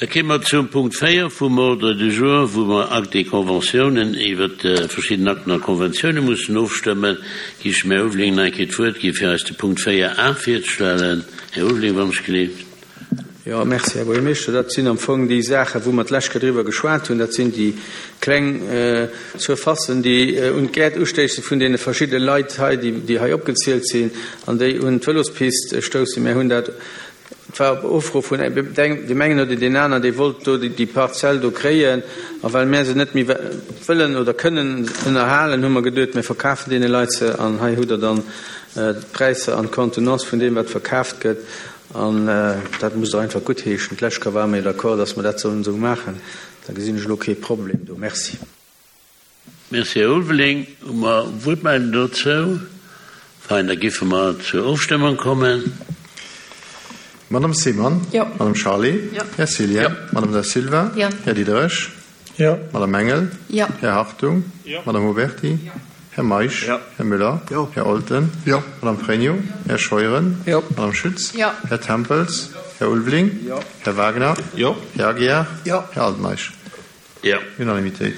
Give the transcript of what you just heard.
Da kéime mer zum Punkt 4 vum Ordre du jour, wou mer Actes et Conventiounen iwwert verschidden Akten a Konventiounen mussen ofstëmmen. Gi ech dem Här Ulveling nach eng Kéier d'Wuert gi fir eis de Punkt 4 a virzestellen. Här Ulveling, wann ech gleeft. Jo, merci, Här Buergermeeschter. Dat sinn am Fong déi Saachen, wou mer d'lescht Kéier driwwer geschwat hunn. Dat sinn déi kleng Surfacen, déi un d'Gäert ustéissen vun deene verschidde Leit hei, déi hei opgezielt sinn an déi un d'Vëlospist stoussen. Mir hunn dat Et war op Ufro vun deem engen oder deen aneren, dee wollt do déi Parzell do kréien. A well mär se net méi wëllen oder kënnen ënnerhalen, hu mer geduet, mir verkafen deene Leit se. An hei hutt Der dann d'Präisser an d'Contenance vun deem, wat verkaaft gëtt. An dat musst Der einfach guttheeschen. D'lescht Kéier ware mer jo d'accord, dass mer dat sollen esou maachen. Da gesinn ech elo kee Problem do. Merci. Merci, Här Ulveling. Hu mer Wuertmeldungen dozou? Fein, da géife mer zur Ofstëmmung kommen. Madame Simon? Jo. Madame Charlé? Jo. Här Cillien? Jo. Madame Da Silva? Jo. Här Diderich? Jo. Madame Engel? Jo. Här Hartung? Jo. Madame Huberty? Jo. Här Meisch? Jo. Här Müller? Jo. Här Olten? Jo. Madame Pregno? Här Scheuren? Jo. Madame Schütz? Jo. Här Tempels? Här Ulveling? Jo. Här Wagner? Jo. Här Aguiar? Jo. Här Altmeisch? Jo. Unanimitéit.